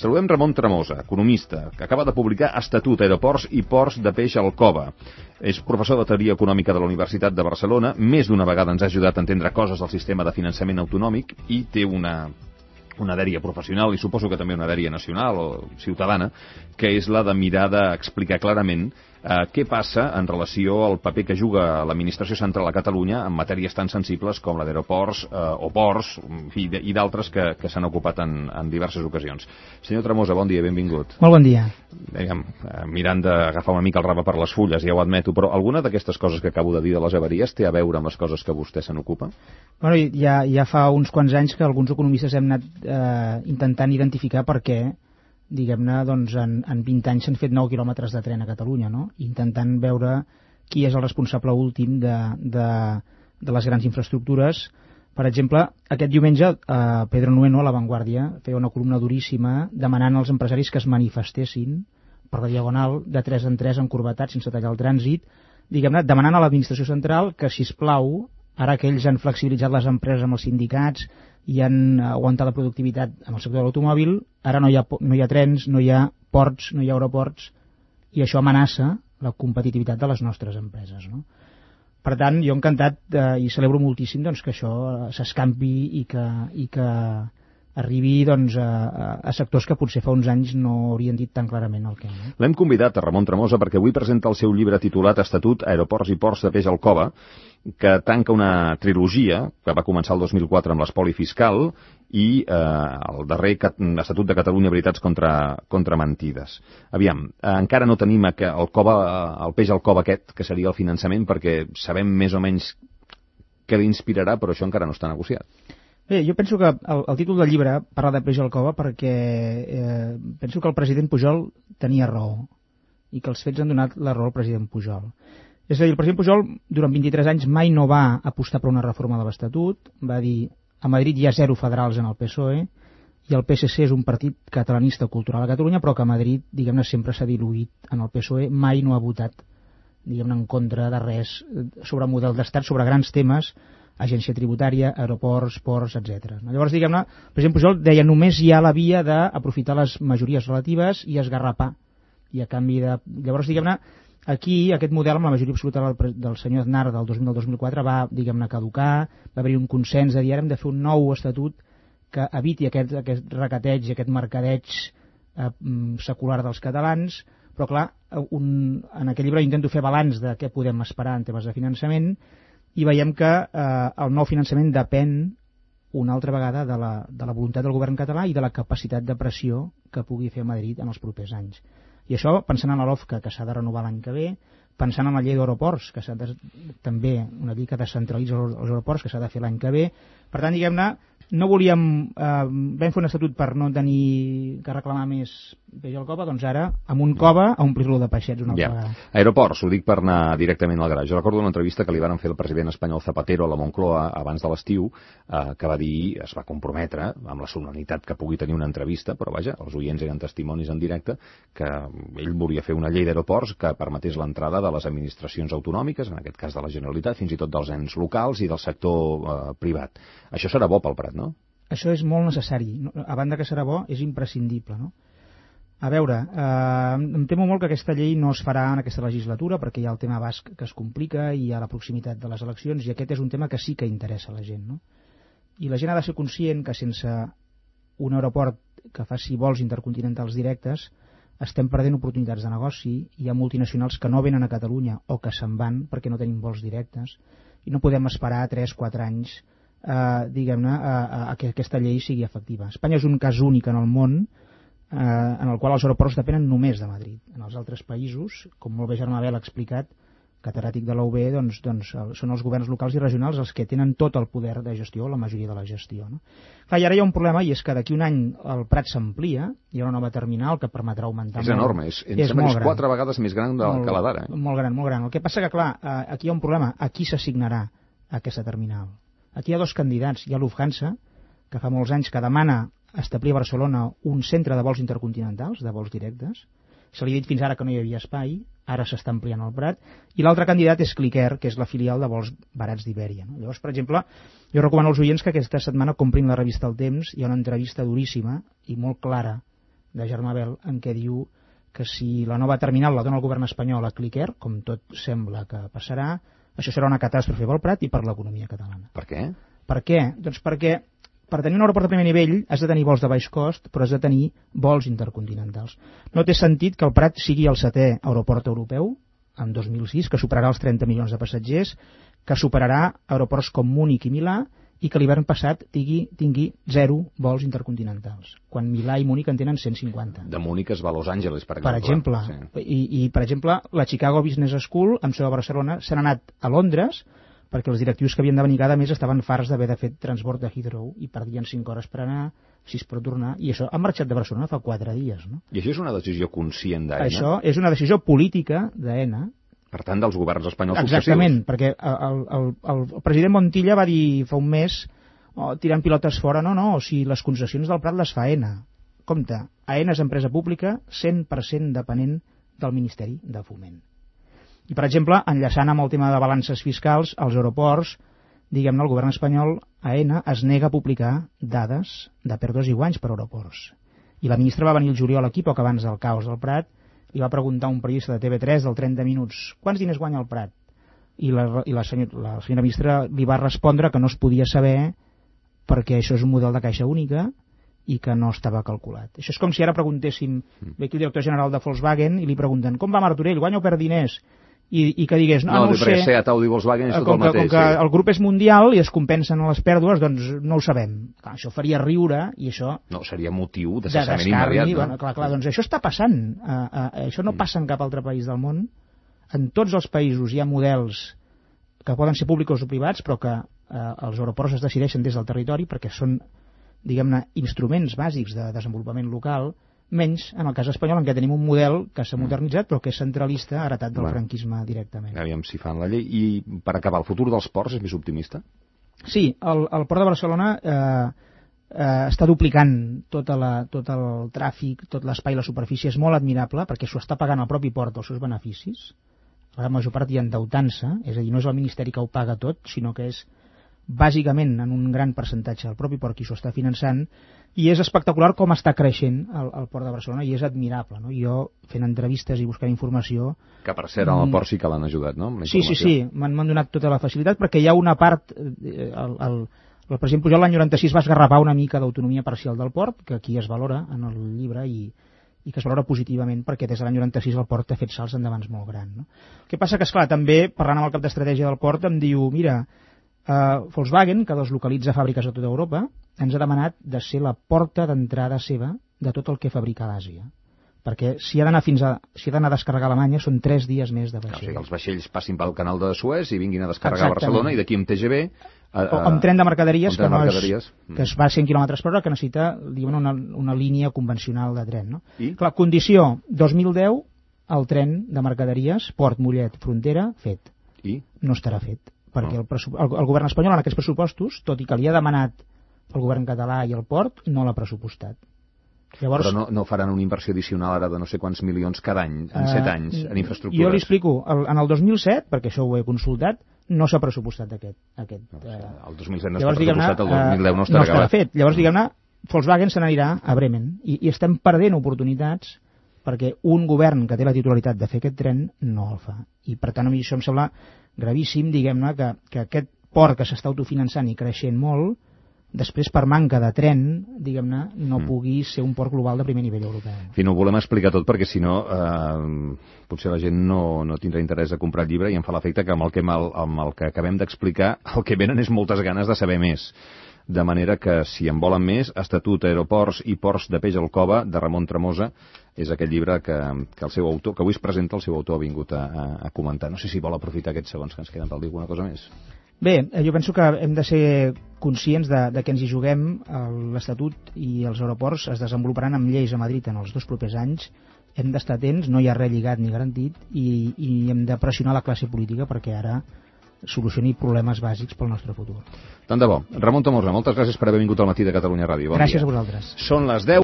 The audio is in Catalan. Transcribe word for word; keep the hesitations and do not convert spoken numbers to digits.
Saludem Ramon Tremosa, economista, que acaba de publicar Estatut, Aeroports i Ports de Peix al Cove. És professor de Teoria Econòmica de la Universitat de Barcelona, més d'una vegada ens ha ajudat a entendre coses del sistema de finançament autonòmic i té una... una dèria professional i suposo que també una dèria nacional o ciutadana, que és la de mirar d'explicar clarament eh, què passa en relació al paper que juga l'administració central a Catalunya en matèries tan sensibles com la d'aeroports eh, o ports i, i d'altres que, que s'han ocupat en, en diverses ocasions. Senyor Tremosa, bon dia, benvingut. Molt bon dia. Diguem, mirant d'agafar una mica el rave per les fulles, ja ho admeto, però alguna d'aquestes coses que acabo de dir de les avaries té a veure amb les coses que vostè se n'ocupa? Bueno, ja, ja fa uns quants anys que alguns economistes hem anat eh, intentant identificar per què, diguem-ne, doncs en, en vint anys s'han fet nou quilòmetres de tren a Catalunya, no? Intentant veure qui és el responsable últim de, de, de les grans infraestructures. Per exemple, aquest diumenge eh, Pedro Nueno, a La Vanguardia, feia una columna duríssima demanant als empresaris que es manifestessin per la Diagonal de tres en tres encorbatats sense tallar el trànsit, diguem-ne, demanant a l'administració central que, sisplau, ara que ells han flexibilitzat les empreses amb els sindicats i han aguantat la productivitat en el sector de l'automòbil, ara no hi ha, no hi ha trens, no hi ha ports, no hi ha aeroports, i això amenaça la competitivitat de les nostres empreses, no? Per tant, jo encantat eh, i celebro moltíssim doncs, que això s'escampi i que, i que arribi doncs, a, a sectors que potser fa uns anys no haurien dit tan clarament el que. No? L'hem convidat a Ramon Tremosa perquè avui presenta el seu llibre titulat Estatut, Aeroports i Ports de Peix al Cove, que tanca una trilogia que va començar el dos mil quatre amb l'espoli fiscal i eh, el darrer Estatut de Catalunya, veritats contra, contra mentides. Aviam, eh, encara no tenim el, cove, el peix al cove aquest, que seria el finançament, perquè sabem més o menys què l'inspirarà, però això encara no està negociat. Bé, jo penso que el, el títol del llibre parla de peix al cove perquè eh, penso que el president Pujol tenia raó i que els fets han donat la raó al president Pujol. És a dir, el president Pujol durant vint-i-tres anys mai no va apostar per una reforma de l'Estatut, va dir a Madrid hi ha zero federals en el P S O E i el P S C és un partit catalanista cultural a Catalunya, però que a Madrid, diguem-ne, sempre s'ha diluït en el P S O E, mai no ha votat, diguem-ne, en contra de res sobre model d'estat, sobre grans temes, agència tributària, aeroports, ports, etcètera. Llavors, diguem-ne, el president Pujol deia només hi ha la via d'aprofitar les majories relatives i esgarrapar. I a canvi de... Llavors, diguem-ne, aquí aquest model amb la majoria absoluta del, del senyor Aznar del dos mil al dos mil quatre va, diguem-ne, caducar, va haver-hi un consens de dir ara hem de fer un nou estatut que eviti aquest, aquest recateig, aquest mercadeig eh, secular dels catalans, però clar, un, en aquest llibre intento fer balanç de què podem esperar en temes de finançament i veiem que eh, el nou finançament depèn una altra vegada de la, de la voluntat del govern català i de la capacitat de pressió que pugui fer Madrid en els propers anys. I això pensant en la LOFCA, que s'ha de renovar l'any que ve, pensant en la llei d'aeroports, que s'ha de, també una llei que descentralitza els, els aeroports, que s'ha de fer l'any que ve. Per tant, diguem-ne, no volíem, eh, vam fer un estatut per no tenir que reclamar més peix al cove, doncs ara, amb un cove, a omplir-lo de peixets una altra ja. vegada. Aeroports, ho dic per anar directament al gra. Jo recordo una entrevista que li van fer el president espanyol Zapatero a la Moncloa abans de l'estiu, eh, que va dir, es va comprometre, amb la solemnitat que pugui tenir una entrevista, però vaja, els oients eren testimonis en directe, que ell volia fer una llei d'aeroports que permetés l'entrada de les administracions autonòmiques, en aquest cas de la Generalitat, fins i tot dels ens locals i del sector eh, privat. Això serà bo pel Prat, no? Això és molt necessari. A banda que serà bo, és imprescindible, no? A veure, eh, em temo molt que aquesta llei no es farà en aquesta legislatura perquè hi ha el tema basc que es complica i hi ha la proximitat de les eleccions i aquest és un tema que sí que interessa a la gent, no? I la gent ha de ser conscient que sense un aeroport que faci vols intercontinentals directes estem perdent oportunitats de negoci, hi ha multinacionals que no venen a Catalunya o que se'n van perquè no tenim vols directes i no podem esperar tres o quatre anys eh, diguem-ne, a, a, a que aquesta llei sigui efectiva. Espanya és un cas únic en el món eh, en el qual els aeroports depenen només de Madrid. En els altres països, com molt bé Germà Bel ha explicat, catedràtic de la U B, doncs, doncs són els governs locals i regionals els que tenen tot el poder de gestió, la majoria de la gestió. No? Clar, i ara hi ha un problema, i és que d'aquí un any el Prat s'amplia, hi ha una nova terminal que permetrà augmentar... És molt, enorme, és, és, és quatre vegades més gran del molt, que la d'ara. Eh? Molt gran, molt gran. El que passa que, clar, aquí hi ha un problema. A qui s'assignarà aquesta terminal? Aquí hi ha dos candidats. Hi ha Lufthansa, que fa molts anys que demana establir a Barcelona un centre de vols intercontinentals, de vols directes. Se li ha dit fins ara que no hi havia espai, ara s'està ampliant el Prat, i l'altre candidat és Clicker, que és la filial de vols barats d'Ibèria. No? Llavors, per exemple, jo recomano als oients que aquesta setmana comprin la revista El Temps, hi ha una entrevista duríssima i molt clara de Germà Bel, en què diu que si la nova terminal la dona el govern espanyol a Clicker, com tot sembla que passarà, això serà una catàstrofe pel Prat i per l'economia catalana. Per què? Per què? Doncs perquè per tenir un aeroport de primer nivell has de tenir vols de baix cost, però has de tenir vols intercontinentals. No té sentit que el Prat sigui el setè aeroport europeu en dos mil sis, que superarà els trenta milions de passatgers, que superarà aeroports com Múnich i Milà, i que l'hivern passat tingui, tingui zero vols intercontinentals, quan Milà i Múnich en tenen cent cinquanta. De Múnich es va a Los Angeles, per exemple. Per exemple, sí. I, i per exemple, la Chicago Business School, amb seu a Barcelona, s'han anat a Londres, perquè els directius que havien de venir cada mes estaven farts d'haver de fer transport de Heathrow i perdien cinc hores per anar, sis per tornar, i això han marxat de Barcelona fa quatre dies. No? I això és una decisió conscient d'Aena? Això és una decisió política d'Aena. Per tant, dels governs espanyols Exactament, successius. perquè el, el, el, el president Montilla va dir fa un mes, oh, tirant pilotes fora, no, no, o si les concessions del Prat les fa Aena. Compte, Aena és empresa pública cent per cent depenent del Ministeri de Foment. I, per exemple, enllaçant amb el tema de balances fiscals, als aeroports, diguem-ne, el govern espanyol, Aena, es nega a publicar dades de pèrdues i guanys per aeroports. I la ministra va venir el juliol aquí, poc abans del caos del Prat, i va preguntar a un periodista de T V tres del trenta minuts quants diners guanya el Prat? I la, i la, senyor, la senyora ministra li va respondre que no es podia saber perquè això és un model de caixa única i que no estava calculat. Això és com si ara preguntéssim, ve aquí el director general de Volkswagen i li pregunten com va Martorell, guanya o perd diners? I, i que digués, no, no, no ho sé, Seat, Audi, Volkswagen és tot com el mateix. Que, com que sí. el grup és mundial i es compensen a les pèrdues, doncs no ho sabem. Clar, això faria riure i això... No, seria motiu de de cessament immediat. No? Bueno, clar, clar, doncs això està passant. Uh, uh, això no passa en cap altre país del món. En tots els països hi ha models que poden ser públics o privats, però que uh, els aeroports es decideixen des del territori perquè són, diguem-ne, instruments bàsics de desenvolupament local, menys en el cas espanyol en què tenim un model que s'ha modernitzat però que és centralista, heretat del bueno, franquisme directament. Aviam si fan la llei. I per acabar, el futur dels ports és més optimista? Sí, el, el port de Barcelona eh, eh, està duplicant tota la, tot el tràfic, tot l'espai, la superfície és molt admirable perquè s'ho està pagant el propi port els seus beneficis. La major part hi endeutant-se, és a dir, no és el Ministeri que ho paga tot, sinó que és bàsicament en un gran percentatge el propi port qui s'ho està finançant, i és espectacular com està creixent el, el port de Barcelona i és admirable. No? Jo, fent entrevistes i buscant informació... Que per cert, al port sí que l'han ajudat, no? Sí, sí, sí, m'han donat tota la facilitat perquè hi ha una part... Eh, el, el, el president Pujol l'any noranta-sis va esgarrapar una mica d'autonomia parcial del port, que aquí es valora en el llibre i, i que es valora positivament perquè des de l'any noranta-sis el port ha fet salts endavant molt gran. No? El que passa que, esclar, també, parlant amb el cap d'estratègia del port, em diu, mira, Uh, Volkswagen, que deslocalitza fàbriques a tota Europa, ens ha demanat de ser la porta d'entrada seva de tot el que fabrica a l'Àsia. Perquè si ha d'anar fins a si ha d'anar a descarregar a Alemanya són tres dies més de vaixell. O sigui, els vaixells passin pel canal de Suez i vinguin a descarregar a Barcelona i d'aquí amb T G V... A, a, o amb tren de mercaderies, tren de que, mercaderies. No és, que es va a cent quilòmetres per hora, que necessita diguem, una, una línia convencional de tren. No? I? Clar, condició, dos mil deu, el tren de mercaderies, Port, Mollet, Frontera, fet. I? No estarà fet. Perquè el, el, el govern espanyol en aquests pressupostos, tot i que li ha demanat el govern català i el port, no l'ha pressupostat. Llavors, però no, no faran una inversió addicional ara de no sé quants milions cada any, en set uh, anys, en infraestructures? Jo li explico, el, en el dos mil set, perquè això ho he consultat, no s'ha pressupostat aquest. aquest no, uh, el dos mil set no està pressupostat, el dos mil deu no estarà, no estarà fet. Llavors, diguem-ne, Volkswagen se n'anirà a Bremen i, i estem perdent oportunitats perquè un govern que té la titularitat de fer aquest tren no el fa. I per tant a mi això em sembla gravíssim, diguem-ne, que, que aquest port que s'està autofinançant i creixent molt, després per manca de tren, diguem-ne, no mm. pugui ser un port global de primer nivell europeu. En fi, no ho volem explicar tot perquè si no eh, potser la gent no, no tindrà interès a comprar el llibre i em fa l'efecte que amb el que, amb el, amb el que acabem d'explicar el que venen és moltes ganes de saber més. De manera que, si en volen més, Estatut, Aeroports i Ports de Peix al Cova, de Ramon Tremosa, és aquest llibre que, que el seu autor, que avui es presenta, el seu autor ha vingut a, a, a comentar. No sé si vol aprofitar aquests segons que ens queden per dir alguna cosa més. Bé, jo penso que hem de ser conscients de, de que ens hi juguem. L'Estatut i els aeroports es desenvoluparan amb lleis a Madrid en els dos propers anys. Hem d'estar atents, no hi ha res lligat ni garantit, i, i hem de pressionar la classe política perquè ara solucioni problemes bàsics pel nostre futur. Tant de bo. Ramon Tremosa, moltes gràcies per haver vingut al Matí de Catalunya Ràdio. Bon gràcies dia. A vosaltres. Són les deu.